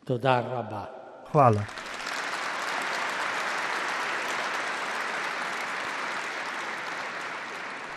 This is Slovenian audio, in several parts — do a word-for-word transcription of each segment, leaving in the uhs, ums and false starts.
Toda rabba. Hvala.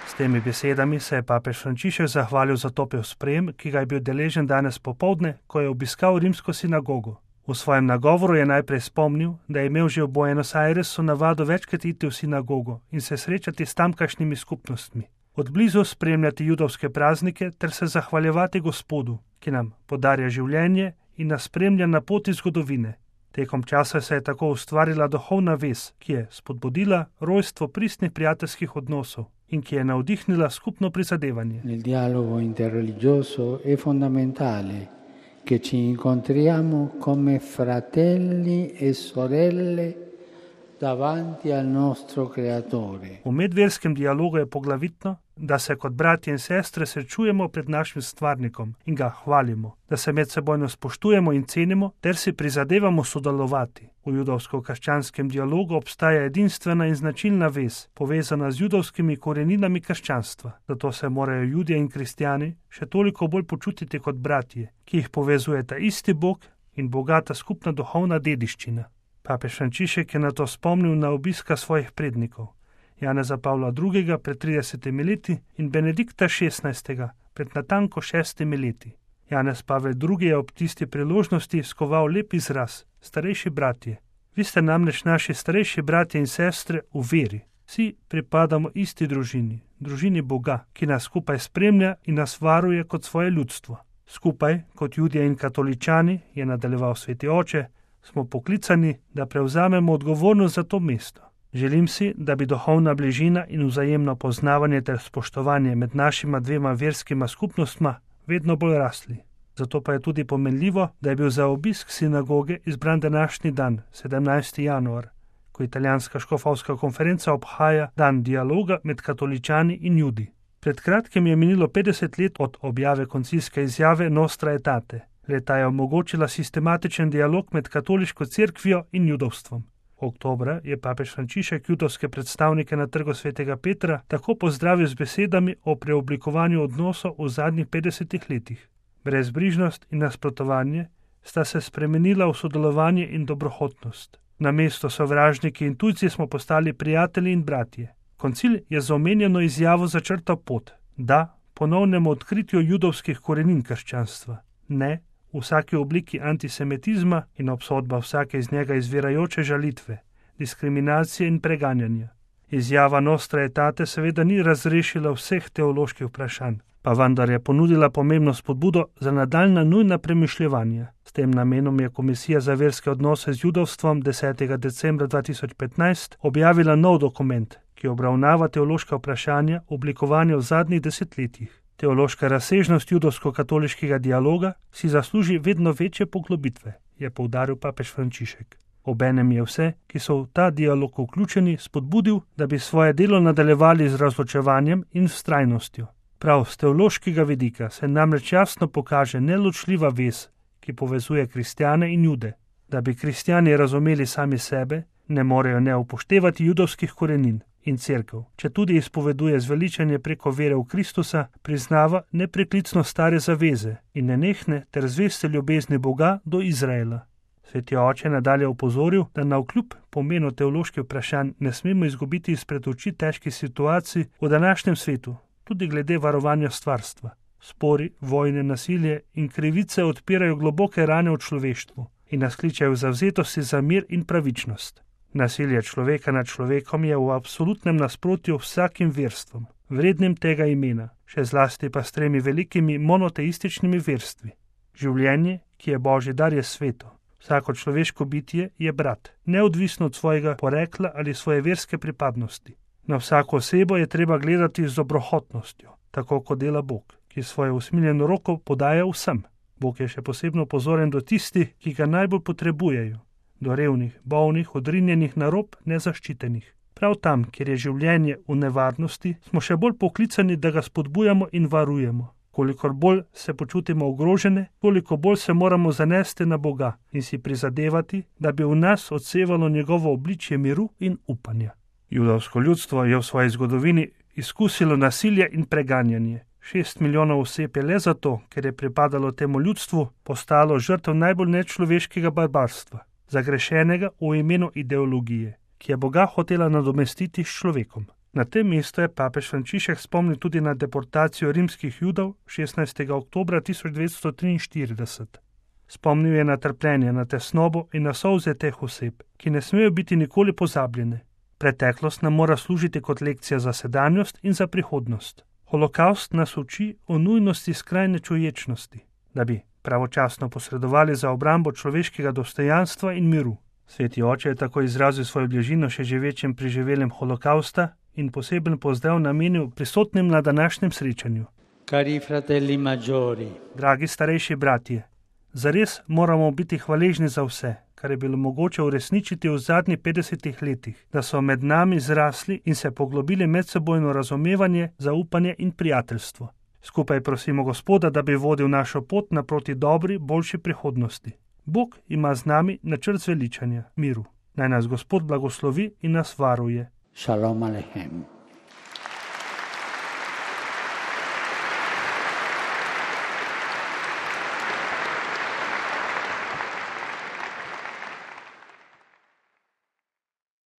S temi besedami se je papež Frančišek zahvalil za topel sprejem, ki ga je bil deležen danes popoldne, ko je obiskal rimsko sinagogo. V svojem nagovoru je najprej spomnil, da je imel že v Buenos Airesu navado večkrat iti v sinagogo in se srečati s tamkajšnjimi skupnostmi, od blizu spremljati judovske praznike ter se zahvaljevati Gospodu, ki nam podarja življenje in nas spremlja na poti zgodovine. Tekom časa se je tako ustvarila duhovna vez, ki je spodbudila rojstvo pristnih prijateljskih odnosov in ki je navdihnila skupno prizadevanje. Nel dialogo interreligioso è fondamentale che ci incontriamo come fratelli e sorelle davanti al nostro Creatore. V medverskem dialogu je poglavitno, da se kot bratje in sestre srečujemo pred našim stvarnikom in ga hvalimo, da se medsebojno spoštujemo in cenimo ter si prizadevamo sodelovati. V judovsko-krščanskem dialogu obstaja edinstvena in značilna vez, povezana z judovskimi koreninami krščanstva. Zato se morajo Judje in kristjani še toliko bolj počutiti kot bratje, ki jih povezujeta isti Bog in bogata skupna duhovna dediščina. Papež Frančišek je na to spomnil na obiska svojih prednikov, Janeza Pavla drugega pred tridesetimi leti in Benedikta šestnajstega pred natanko šestimi leti. Janez Pavel drugi je ob tisti priložnosti skoval lep izraz: starejši bratje. Vi ste namreč naši starejši bratje in sestre v veri. Vsi pripadamo isti družini, družini Boga, ki nas skupaj spremlja in nas varuje kot svoje ljudstvo. Skupaj, kot Judje in katoličani, je nadaljeval sveti oče, smo poklicani, da prevzamemo odgovornost za to mesto. Želim si, da bi duhovna bližina in vzajemno poznavanje ter spoštovanje med našima dvema verskima skupnostma vedno bolj rasli. Zato pa je tudi pomenljivo, da je bil za obisk sinagoge izbran današnji dan, sedemnajsti januar, ko italijanska škofovska konferenca obhaja dan dialoga med katoličani in Judi. Pred kratkim je minilo petdeset let od objave koncilske izjave Nostra Aetate. Leta je omogočila sistematičen dialog med katoliško cerkvijo in judovstvom. Oktobra je papež Frančišek judovske predstavnike na trgu svetega Petra tako pozdravil z besedami o preoblikovanju odnosov v zadnjih petdesetih letih. Brezbrižnost in nasprotovanje sta se spremenila v sodelovanje in dobrohotnost. Namesto sovražniki in tujci smo postali prijatelji in bratje. Koncil je z omenjeno izjavo začrtal pot, da ponovnemu odkritju judovskih korenin krščanstva, ne v vsaki obliki antisemitizma in obsodba vsake iz njega izvirajoče žalitve, diskriminacije in preganjanja. Izjava Nostra Aetate seveda ni razrešila vseh teoloških vprašanj, pa vendar je ponudila pomembno spodbudo za nadaljnja nujna premišljevanja. S tem namenom je Komisija za verske odnose z judovstvom desetega decembra dva tisoč petnajst objavila nov dokument, ki obravnava teološka vprašanja oblikovanja v zadnjih desetletjih. Teološka razsežnost judovsko-katoliškega dialoga si zasluži vedno večje poglobitve, je poudaril papež Frančišek. Obenem je vse, ki so v ta dialog vključeni, spodbudil, da bi svoje delo nadaljevali z razločevanjem in vztrajnostjo. Prav z teološkega vidika se namreč jasno pokaže neločljiva vez, ki povezuje kristjane in jude. Da bi kristjani razumeli sami sebe, ne morejo ne upoštevati judovskih korenin. In cerkev, če tudi izpoveduje zveličanje preko vere v Kristusa, priznava nepreklicno stare zaveze in nenehne ter zveste ljubezni Boga do Izraela. Sveti oče nadalje opozoril, da navkljub pomenu teoloških vprašanj ne smemo izgubiti izpred oči težkih situacij v današnjem svetu, tudi glede varovanja stvarstva. Spori, vojne, nasilje in krivice odpirajo globoke rane v človeštvu in nas kličejo v zavzetosti za mir in pravičnost. Nasilje človeka nad človekom je v absolutnem nasprotju vsakim verstvom, vrednim tega imena, še zlasti pa s tremi velikimi monoteističnimi verstvi. Življenje, ki je Božji dar, je sveto. Vsako človeško bitje je brat, neodvisno od svojega porekla ali svoje verske pripadnosti. Na vsako osebo je treba gledati z dobrohotnostjo, tako kot dela Bog, ki svojo usmiljeno roko podaja vsem. Bog je še posebno pozoren do tistih, ki ga najbolj potrebujejo, do revnih, bolnih, odrinjenih na rob, nezaščitenih. Prav tam, kjer je življenje v nevarnosti, smo še bolj poklicani, da ga spodbujamo in varujemo. Kolikor bolj se počutimo ogrožene, toliko bolj se moramo zanesti na Boga in si prizadevati, da bi v nas odsevalo njegovo obličje miru in upanja. Judovsko ljudstvo je v svoji zgodovini izkusilo nasilje in preganjanje. Šest milijonov oseb je le zato, ker je pripadalo temu ljudstvu, postalo žrtev najbolj nečloveškega barbarstva, zagrešenega v imenu ideologije, ki je Boga hotela nadomestiti s človekom. Na tem mestu je papež Frančišek spomnil tudi na deportacijo rimskih Judov šestnajstega oktobra tisoč devetsto triinštirideset. Spomnil je na trpljenje, na tesnobo in na solze teh oseb, ki ne smejo biti nikoli pozabljene. Preteklost nam mora služiti kot lekcija za sedanjost in za prihodnost. Holokavst nas uči o nujnosti skrajne čuječnosti, da bi pravočasno posredovali za obrambo človeškega dostojanstva in miru. Sveti oče je tako izrazil svojo bližino še živečem preživelem holokausta in poseben pozdrav namenil prisotnim na današnjem srečanju. Cari fratelli maggiori, Dragi starejši bratje, zares moramo biti hvaležni za vse, kar je bilo mogoče uresničiti v zadnjih petdesetih letih, da so med nami zrasli in se poglobili medsebojno razumevanje, zaupanje in prijateljstvo. Skupaj prosimo Gospoda, da bi vodil našo pot naproti dobri, boljši prihodnosti. Bog ima z nami načrt zveličanja, miru. Naj nas Gospod blagoslovi in nas varuje. Shalom Aleichem.